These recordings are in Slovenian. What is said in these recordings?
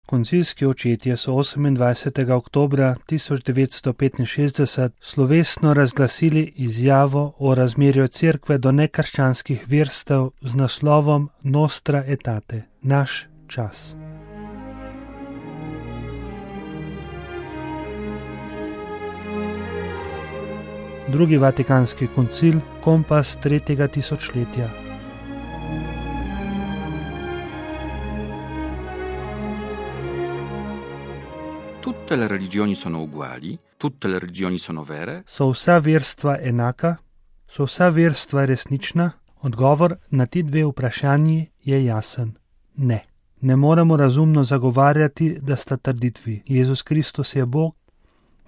Koncilski očetje so 28. oktobra 1965 slovesno razglasili izjavo o razmerju cerkve do nekrščanskih verstev z naslovom Nostra Aetate, naš čas. Drugi vatikanski koncil, kompas tretjega tisočletja. Tutte le religioni sono uguali, tutte le religioni sono vere. So vsa verstva enaka? So vsa verstva resnična? Odgovor na ti dve vprašanji je jasen. Ne. Ne moremo razumno zagovarjati, da sta trditvi Jezus Kristus je Bog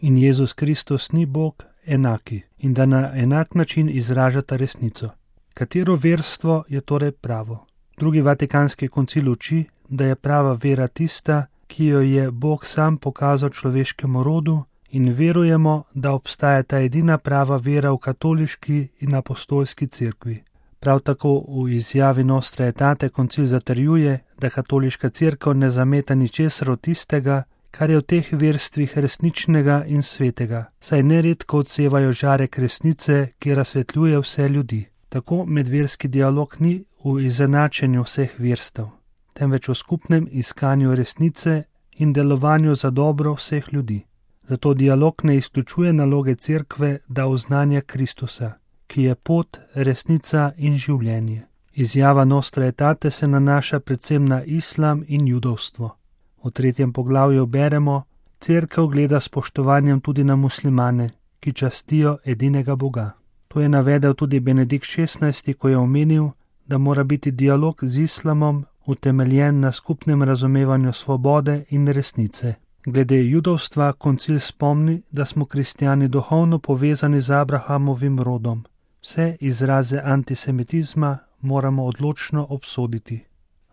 in Jezus Kristus ni Bog enaki in da na enak način izražata resnico. Katero verstvo je torej pravo? Drugi vatikanski koncil uči, da je prava vera tista, ki jo je Bog sam pokazal človeškemu rodu, in verujemo, da obstaja ta edina prava vera v katoliški in apostolski cerkvi. Prav tako v izjavi Nostra Aetate koncil zatrjuje, da katoliška cerkev ne zameta ničesar od tistega, kar je v teh verstvih resničnega in svetega, saj neredko odsevajo žarek resnice, ki razsvetljuje vse ljudi. Tako medverski dialog ni v izenačenju vseh verstev, temveč v skupnem iskanju resnice in delovanju za dobro vseh ljudi. Zato dialog ne izključuje naloge cerkve, da oznanja Kristusa, ki je pot, resnica in življenje. Izjava Nostra Aetate se nanaša predvsem na islam in judovstvo. V 3. poglavju beremo: cerkev gleda s spoštovanjem tudi na muslimane, ki častijo edinega Boga. To je navedel tudi Benedikt XVI, ko je omenil, da mora biti dialog z islamom utemeljen na skupnem razumevanju svobode in resnice. Glede judovstva koncil spomni, da smo kristjani duhovno povezani z Abrahamovim rodom. Vse izraze antisemitizma moramo odločno obsoditi.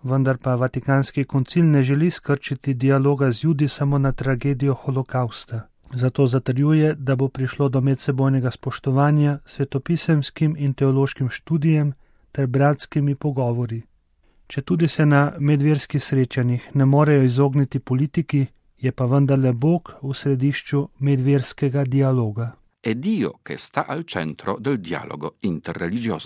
Vendar pa Vatikanski koncil ne želi skrčiti dialoga z Judi samo na tragedijo holokausta. Zato zatrjuje, da bo prišlo do medsebojnega spoštovanja, svetopisemskim in teološkim študijem ter bratskimi pogovori. Četudi se na medverskih srečanjih ne morejo izogniti politiki, je pa vendarle Bog v središču medverskega dialoga. È Dio che sta al centro del dialogo interreligioso.